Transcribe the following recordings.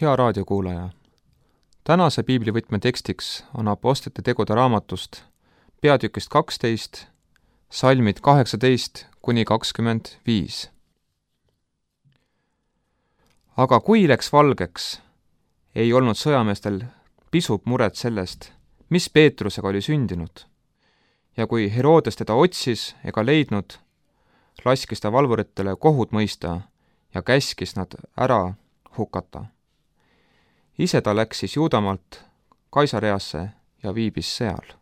Hea raadiokuulaja! Tänase piiblivõtme tekstiks on Apostlite tegude raamatust peatükist 12, salmid 18–25. Aga kui läks valgeks, ei olnud sõjameestel pisut muret sellest, mis Peetrusega oli sündinud. Ja kui Herodes teda otsis ega leidnud, laskis ta valvuritele kohut mõista ja käskis nad ära hukata. Ise ta läks siis Juudamaalt Kaisareasse ja viibis seal.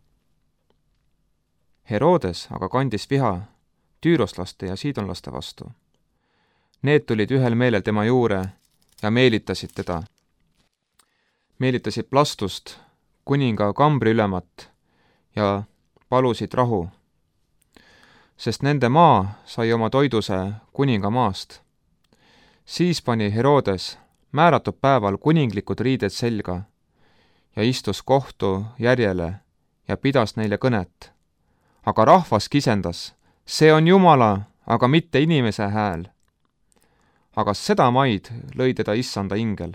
Herodes aga kandis viha tüüroslaste ja siidonlaste vastu. Need tulid ühel meelel tema juurde ja meelitasid teda. Meelitasid Plastust, kuninga kambri ülemat, ja palusid rahu, sest nende maa sai oma toiduse kuninga maast. Siis pani Herodes määratud päeval kuninglikud riided selga ja istus kohtu järjele ja pidas neile kõnet. Aga rahvas kisendas, see on Jumala, aga mitte inimese hääl. Aga seda maid lõi teda issanda ingel,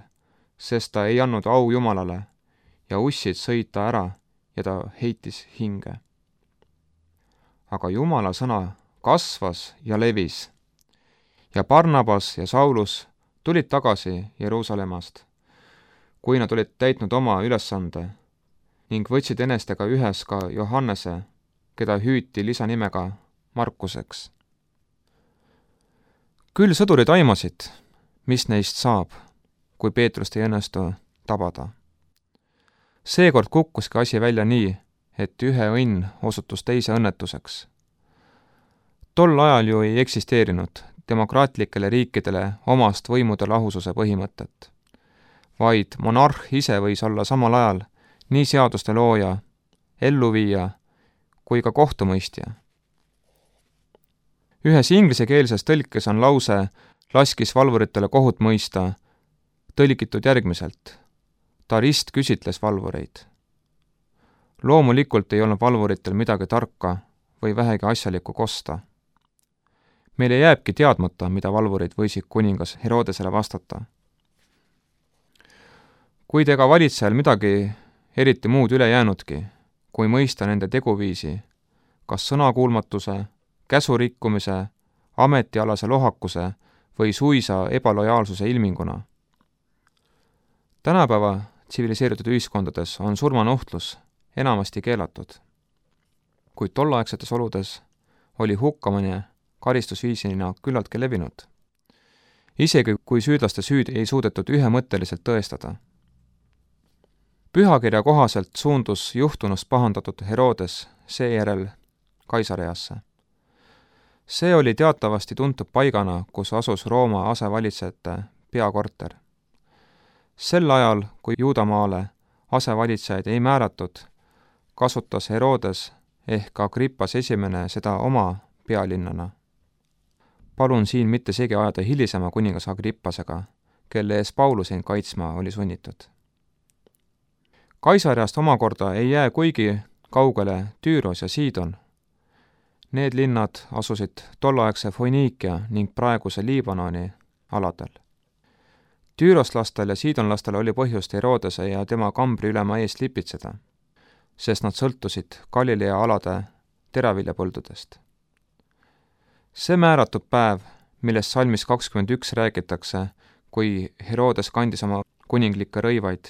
sest ta ei andnud au Jumalale ja ussid sõid ta ära ja ta heitis hinge. Aga Jumala sõna kasvas ja levis ja Barnabas ja Saulus tulid tagasi Jeruusalemmast, kui nad olid täitnud oma ülesande ning võtsid enestega ühes ka Johannese, keda hüüti lisanimega Markuseks. Küll sõdurid aimasid, mis neist saab, kui Peetrust ei õnnestu tabada. Seekord kukkuski asi välja nii, et ühe õnn osutus teise õnnetuseks. Tol ajal ju ei eksisteerinud demokraatlikele riikidele omast võimude lahususe põhimõtet, vaid monarh ise võis olla samal ajal nii seaduste looja, elluviija kui ka kohtumõistja. Ühes inglisekeelses tõlkes on lause laskis valvuritele kohut mõista tõlgitud järgmiselt. Ta ristküsitles valvureid. Loomulikult ei olnud valvuritel midagi tarka või vähegi asjalikku kosta. Meile jääbki teadmata, mida valvurid võisid kuningas Herodesele vastata. Kuid ega valitsejal midagi eriti muud üle jäänudki, kui mõista nende teguviisi, kas sõnakuulmatuse, käsurikkumise, ametialase lohakuse või suisa ebalojaalsuse ilminguna. Tänapäeva tsiviliseeritud ühiskondades on surmanuhtlus enamasti keelatud, kuid tolleaegsetes oludes oli hukkamine karistusviisina küllaltki levinud, isegi kui süüdlaste süüd ei suudetud ühemõtteliselt tõestada. Pühakirja kohaselt suundus juhtunust pahandatud Herodes seejärel Kaisareasse. See oli teatavasti tuntud paigana, kus asus Rooma asevalitsejate peakorter. Sel ajal, kui Juudamaale asevalitsejaid ei määratud, kasutas Herodes ehk Agrippas esimene seda oma pealinnana. Palun siin mitte segi ajada hilisema kuningas Agrippasega, kelle ees Paulusin kaitsma oli sunnitud. Kaisareast omakorda ei jää kuigi kaugele Tüüros ja Siidon. Need linnad asusid tolleaegse Foiniikia ning praeguse Liibanoni aladel. Tüüroslastel ja siidonlastel oli põhjust Herodese ja tema kambri ülema eest lipitseda, sest nad sõltusid Galilea alade teraviljapõldudest. See määratud päev, millest salmis 21 räägitakse, kui Herodes kandis oma kuninglikke rõivaid,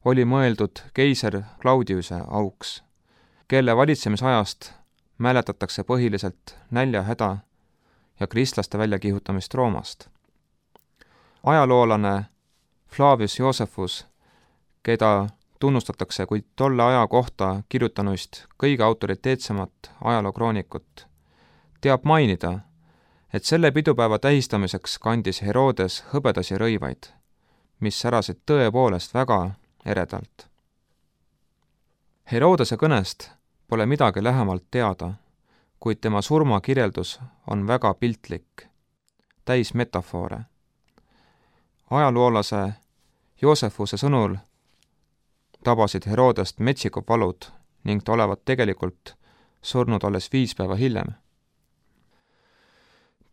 oli mõeldud keiser Claudiuse auks, kelle valitsemisajast mäletatakse põhiliselt näljahäda ja kristlaste väljakihutamist Roomast. Ajaloolane Flavius Josephus, keda tunnustatakse kui tolle aja kohta kirjutanuist kõige autoriteetsemat ajalookroonikut, teab mainida, et selle pidupäeva tähistamiseks kandis Herodes hõbedasi rõivaid, mis särasid tõepoolest väga eredalt. Herodese kõnest pole midagi lähemalt teada, kuid tema surmakirjeldus on väga piltlik, täis metafoore. Ajaloolase Joosefuse sõnul tabasid Herodest metsikud valud ning ta olevat tegelikult surnud alles 5 päeva hiljem.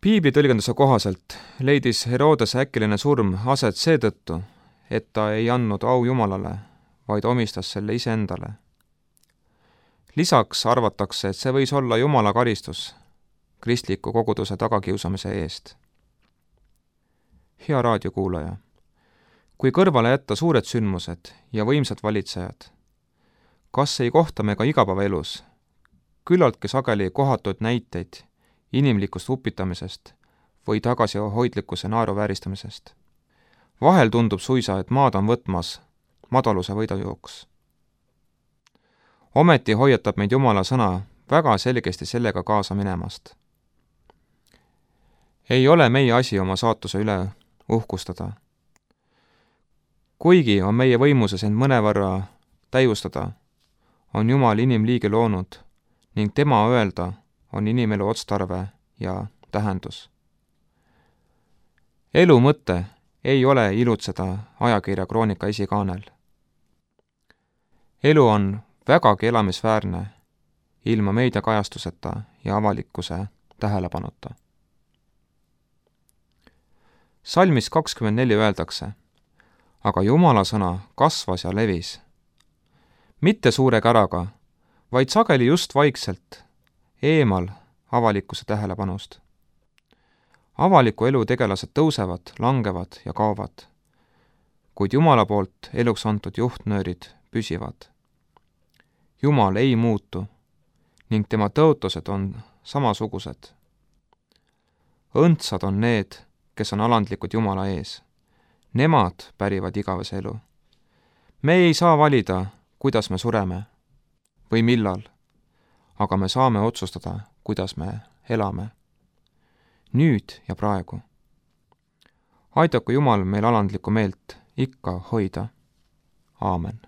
Piibli tõlgenduse kohaselt leidis Herodese äkiline surm aset seetõttu, et ta ei andnud au Jumalale, vaid omistas selle iseendale. Lisaks arvatakse, et see võis olla Jumala karistus kristliku koguduse tagakiusamise eest. Hea raadiokuulaja, kui kõrvale jätta suured sündmused ja võimsad valitsejad, kas ei kohta me ka igapäevaelus küllaltki sageli kohatuid näiteid inimlikust upitamisest või tagasihoidlikkuse naeruvääristamisest? Vahel tundub suisa, et maad on võtmas madaluse võidujooks. Ometi hoiatab meid Jumala sõna väga selgesti sellega kaasa minemast. Ei ole meie asi oma saatuse üle uhkustada. Kuigi on meie võimuses end mõnevõrra täiustada, on Jumal inimliigi loonud ning tema öelda on inimelu otstarve ja tähendus. Elu mõte ei ole ilutseda ajakirja Kroonika esikaanel. Elu on vägagi elamisväärne ilma meediakajastuseta ja avalikkuse tähelepanuta. Salmis 24 öeldakse, aga Jumala sõna kasvas ja levis. Mitte suure käraga, vaid sageli just vaikselt, eemal avalikkuse tähelepanust. Avaliku elu tegelased tõusevad, langevad ja kaovad, kuid Jumala poolt eluks antud juhtnöörid püsivad. Jumal ei muutu ning tema tõotused on samasugused. Õndsad on need, kes on alandlikud Jumala ees. Nemad pärivad igavese elu. Me ei saa valida, kuidas me sureme või millal, aga me saame otsustada, kuidas me elame. Nüüd ja praegu. Aidaku Jumal meil alandlikku meelt ikka hoida. Aamen.